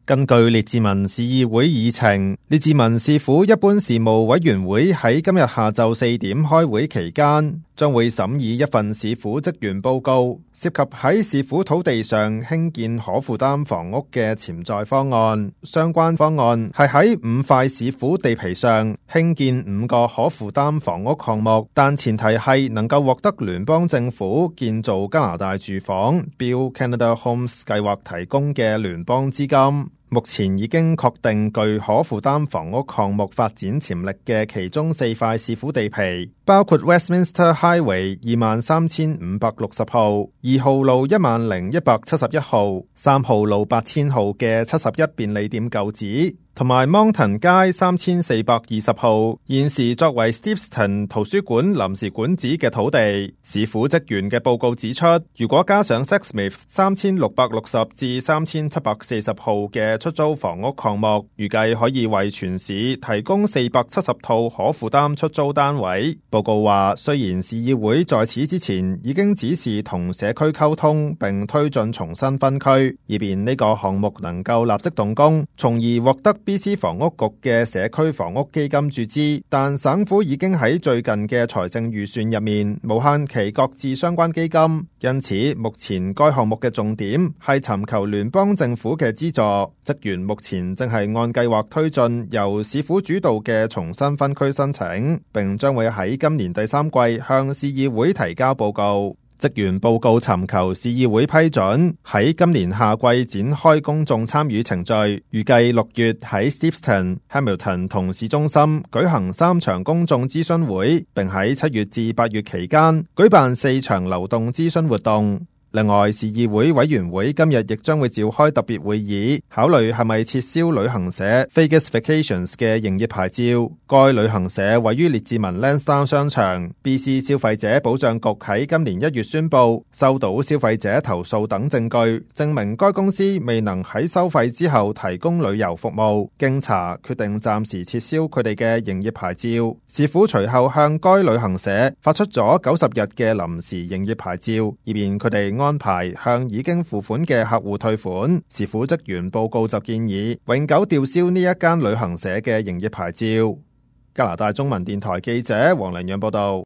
根據列治文市議會議程，列治文市府一般事務委員會喺今日下晝4點開會期間，將會審議一份市府職員報告，涉及喺市府土地上興建可負擔房屋嘅潛在方案。相關方案係喺5塊市府地皮上興建5個可負擔房屋項目，但前提係能夠獲得聯邦政府建造加拿大住房 Build Canada Homes 計劃提供嘅聯邦資金。目前已經確定具可負擔房屋項目發展潛力嘅其中4塊市府地皮，包括 Westminster Highway 23,560號、2號路10,171號、3號路8000號嘅71便利店舊址，同埋 Moncton 街3420號，現時作為 Steveston 圖書館臨時館址嘅土地。市府職員嘅報告指出，如果加上 Sexsmith 3660至3740號嘅出租房屋項目，預計可以為全市提供470套可負擔出租單位。報告話，雖然市議會在此之前已經指示同社區溝通並推進重新分區，以便呢個項目能夠立即動工，從而獲得BC 房屋局嘅社區房屋基金注資，但省府已經喺最近嘅財政預算入面無限期擱置相關基金，因此目前該項目嘅重點係尋求聯邦政府嘅資助。職員目前正係按計劃推進由市府主導嘅重新分區申請，並將會喺今年第3季向市議會提交報告。職員報告尋求市議會批准喺今年夏季展開公眾參與程序，預計6月喺 Steveston、Hamilton 同市中心舉行3場公眾諮詢會，並喺7月至8月期間舉辦4場流動諮詢活動。另外，市議會委員會今日亦將會召開特別會議，考慮係咪撤銷旅行社 Vegas Vacations 嘅營業牌照。該旅行社位於列治文 Lansdowne 商場。BC 消費者保障局喺今年1月宣布，收到消費者投訴等證據，證明該公司未能喺收費之後提供旅遊服務。經查，決定暫時撤銷佢哋嘅營業牌照。市府隨後向該旅行社發出咗90日嘅臨時營業牌照，以便佢哋安排向已經付款嘅客戶退款。市府職員報告就建議永久吊銷呢一間旅行社嘅營業牌照。加拿大中文電台記者黃良陽報道。